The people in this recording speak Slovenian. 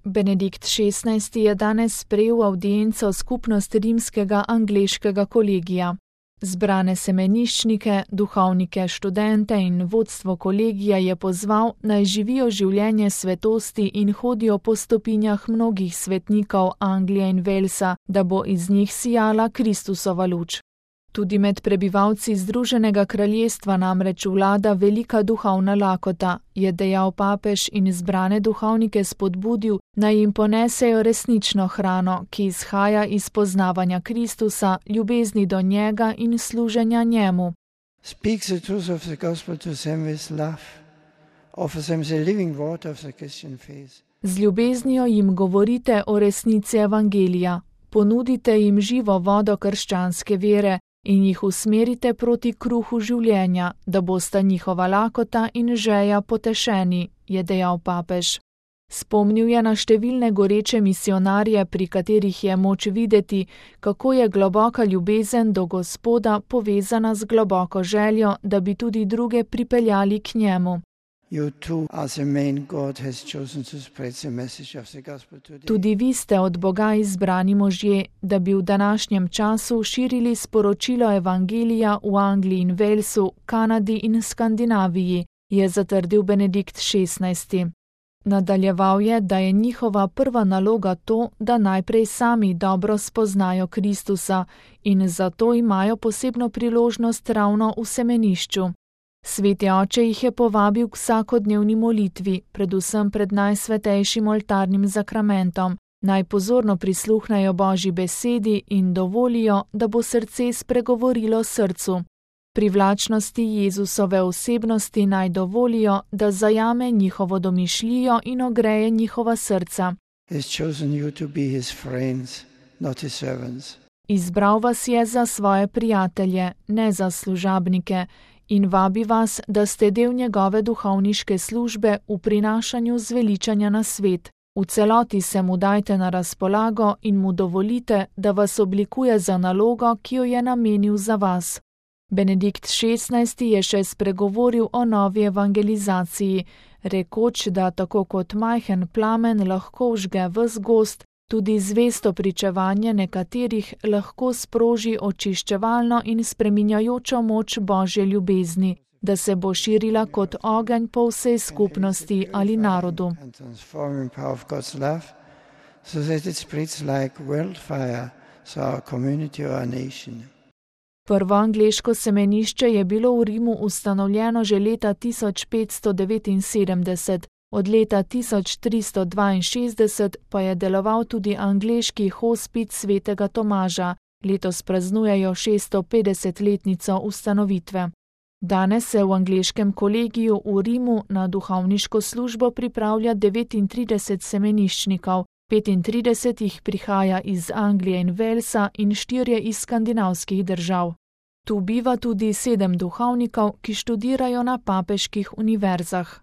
Benedikt XVI. Je danes sprejel avdienco skupnost rimskega angleškega kolegija. Zbrane semeniščnike, duhovnike, študente in vodstvo kolegija je pozval, naj živijo življenje svetosti in hodijo po stopinjah mnogih svetnikov Anglije in Walesa, da bo iz njih sijala Kristusova luč. Tudi med prebivalci Združenega kraljestva namreč vlada velika duhovna lakota, je dejal papež in zbrane duhovnike spodbudil, naj jim ponesejo resnično hrano, ki izhaja iz poznavanja Kristusa, ljubezni do njega in služenja njemu. Speak the truth of the gospel to them with love. Offer them the living water of the Christian faith. Z ljubeznijo jim govorite o resnici evangelija, ponudite jim živo vodo krščanske vere in jih usmerite proti kruhu življenja, da bosta njihova lakota in žeja potešeni, je dejal papež. Spomnil je na številne goreče misionarje, pri katerih je moč videti, kako je globoka ljubezen do Gospoda povezana z globoko željo, da bi tudi druge pripeljali k njemu. Tudi vi ste od Boga izbrani možje, da bi v današnjem času širili sporočilo evangelija v Angliji in Walesu, Kanadi in Skandinaviji, je zatrdil Benedikt XVI. Nadaljeval je, da je njihova prva naloga to, da najprej sami dobro spoznajo Kristusa in zato imajo posebno priložnost ravno v semenišču. Sveti oče jih je povabil k vsakodnevni molitvi, predvsem pred najsvetejšim oltarnim zakramentom, naj pozorno prisluhnejo Božji besedi in dovolijo, da bo srce spregovorilo srcu. Privlačnosti Jezusove osebnosti naj dovolijo, da zajame njihovo domišljijo in ogreje njihova srca. Izbral vas je za svoje prijatelje, ne za služabnike, in vabi vas, da ste del njegove duhovniške službe v prinašanju zveličanja na svet. V celoti se mu dajte na razpolago in mu dovolite, da vas oblikuje za nalogo, ki jo je namenil za vas. Benedikt XVI. Je še spregovoril o novi evangelizaciji, rekoč, da tako kot majhen plamen lahko vžge ves gozd, tudi zvesto pričevanje nekaterih lahko sproži očiščevalno in spreminjajočo moč Božje ljubezni, da se bo širila kot ogenj po vsej skupnosti ali narodu. Prvo angleško semenišče je bilo v Rimu ustanovljeno že leta 1579, od leta 1362 pa je deloval tudi angleški hospic svetega Tomaža, letos praznujejo 650-letnico ustanovitve. Danes se v angleškem kolegiju v Rimu na duhovniško službo pripravlja 39 semeniščnikov, 35 jih prihaja iz Anglije in Walesa in 4 iz skandinavskih držav. Tu biva tudi 7 duhovnikov, ki študirajo na papeških univerzah.